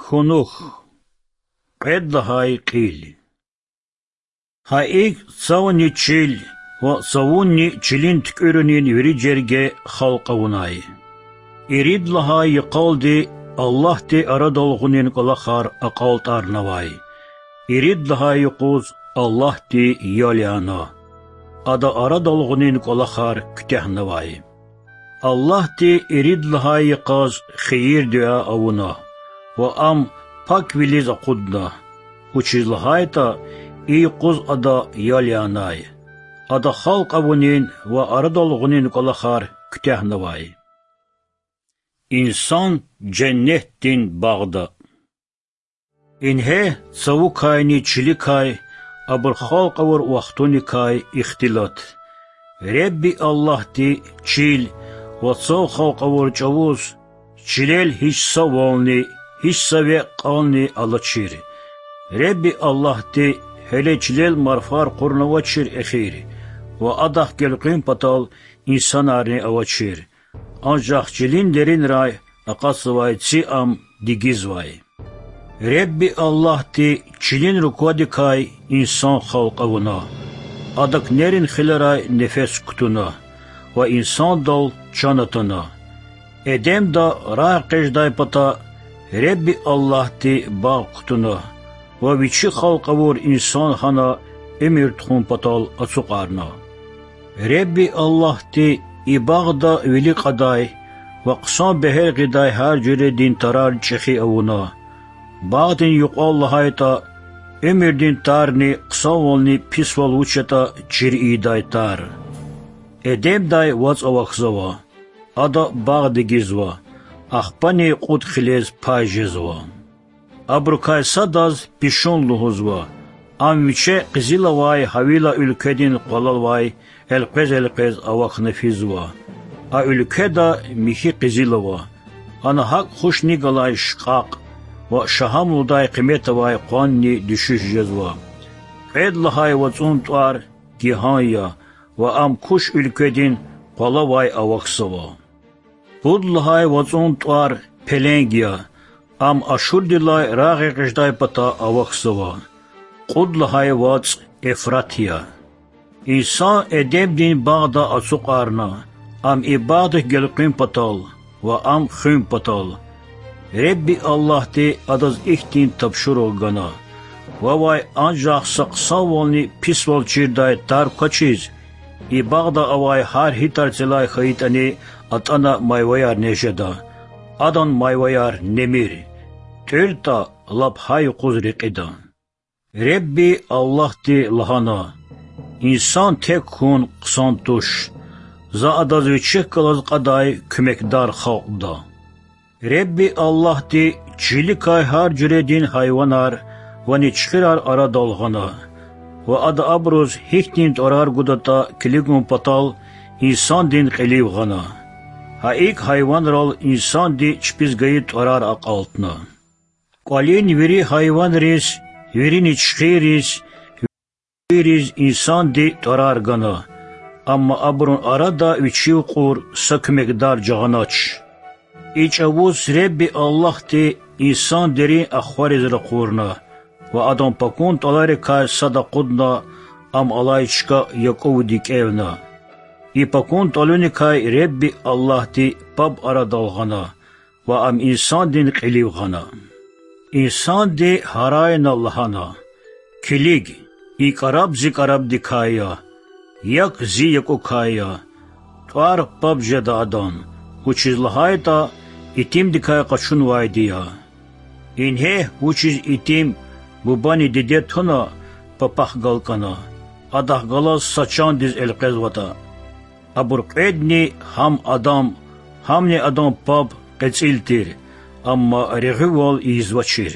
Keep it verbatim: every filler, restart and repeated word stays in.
Кунух. Кьвед лагьай кьил. Гьа икӀ цавани чил ва цавунни чилин туькӀуьрунин вири жерге халкь авунай. Ирид лагьай йикъалди Аллагьди арадал гъунин кӀвалахар акьалтӀарнавай. Ирид лагьай юкъуз Аллагьди ял яна. Ада арадал гъунин кӀвалахар куьтягьнавай. Аллагьди ирид лагьай йикъаз хийир-дуьа авуна, ва ам паквилиз акъудна, вучиз лагьайтӀа и юкъуз Ада ял янай. Ада халкь авунин ва арадал гъунин кӀвалахар куьтягьнавай. Инсан женнетдин багъда. Ингье цавукайни чиликай, абур халкь авур вахтуникай ихтилат. Ребби Аллагьди чил ва цав халкь авур чӀавуз чилел гьич са вални, гьич са векь-кьални алачир. Ребби Аллагьди гьеле чилел марфар кьурнавачир эхир, ва Адахъ гелкъуьн патал инсанарни авачир. Анжах чилин деринрай акъатзавай ци ам дигизвай. Ребби Аллагьди чилин руквадикай инсан халкь авуна, адак нерин хилерай нефес кутуна ва инсандал чан атана. Эдемда рагъэкъечӀдай пата Ребби Аллагьди багъ кутуна ва вичи халкь авур инсан гьана уьмуьр тухун патал ацукьарна. Ребби Аллагьди и багъда вили кьадай ва хъсан бегьер гъидай гьар жуьредин тарар чӀехи авуна. Багъдин юкьвал лагьайтӀа, уьмуьрдин тарни хъсанвални писвал вуч ятӀа чир ийидай тар. Эдемдай вацӀ авахьзава, ада багъ дигизва, ахпани кьуд хилез пай жезва. Абурукай садаз пишун лугьузва, ам виче къизил авай Гьавила уьлкведин къвалал авай элкъвез-элкъвез авахьна физва. А уьлкведа михьи къизил ава, ана гьакӀ хушни галай шкьакь ва шагьамлудай къимет авай къванни дуьшуьш жезва. Кьвед лагьай вацӀун тӀвар Гигьан я, ва ам Куш уьлкведин къвалавай авахьзава. Пуд лагьай вацӀун тӀвар Пеленг я, ам Ашурдилай рагъэкъечӀдай пата авахьзава. Кьуд лагьай вацӀ Эфрат я. Инсан Эдемдин багъда ацукьарна, ам и багъдихъ гелкъуьн патал ва ам хуьн патал. Ребби Аллагьди адаз ихьтин тапшуругъ гана: вавай анжах са хъсанвални писвал чирдай тар квачиз, и багъда авай гьар гьи тарцелай хьайитӀани атӀана майваяр нез жеда, адан майваяр немир. ТӀуьртӀа, лап гьа юкъуз рекьида. Ребби Аллагьди лагьана: Инсан тек хьун хъсан туш. За адаз вичихъ галаз кьадай куьмекдар халкьда. Ребби Аллагьди чиликай гьар жуьредин гьайванар ва ничхирар арадал гъана, ва ада абуруз гьихьтин тӀварар гудатӀа килигун патал инсандин кьилив гъана. Гьа икӀ гьайванрал инсанди чпиз гайи тӀварар акьалтна. КӀвалин вири гьайванриз, вири ничхирриз, вири хьайириз инсанди тӀварар гана, амма абурун арада вичив кьур са куьмекдар жагъанач. И чӀавуз Ребби Аллагьди инсан дерин ахвариз ракъурна ва адан пакун тӀваларикай сад акъудна, ам алай чка Якьувди кӀевна. И пакун тӀвалуникай Ребби Аллагьди паб арадал гъана ва ам инсандин кьилив гъана. Инсанди гьарайна лагьана: Килиг, и кӀараб зи кӀарабдикай я, якӀ зи якӀукай я. ТӀвар паб жеда адан, вучиз лагьайтӀа итимдикай къачунвайди я. Ингье вучиз итим, бубани диде туна, папахъ галкӀана, адахъ галаз са чандиз элкъвезватӀа. Абур кьведни, гьам адан, гьамни адан паб, кьецӀил тир, амма регъуьвал ийизвачир.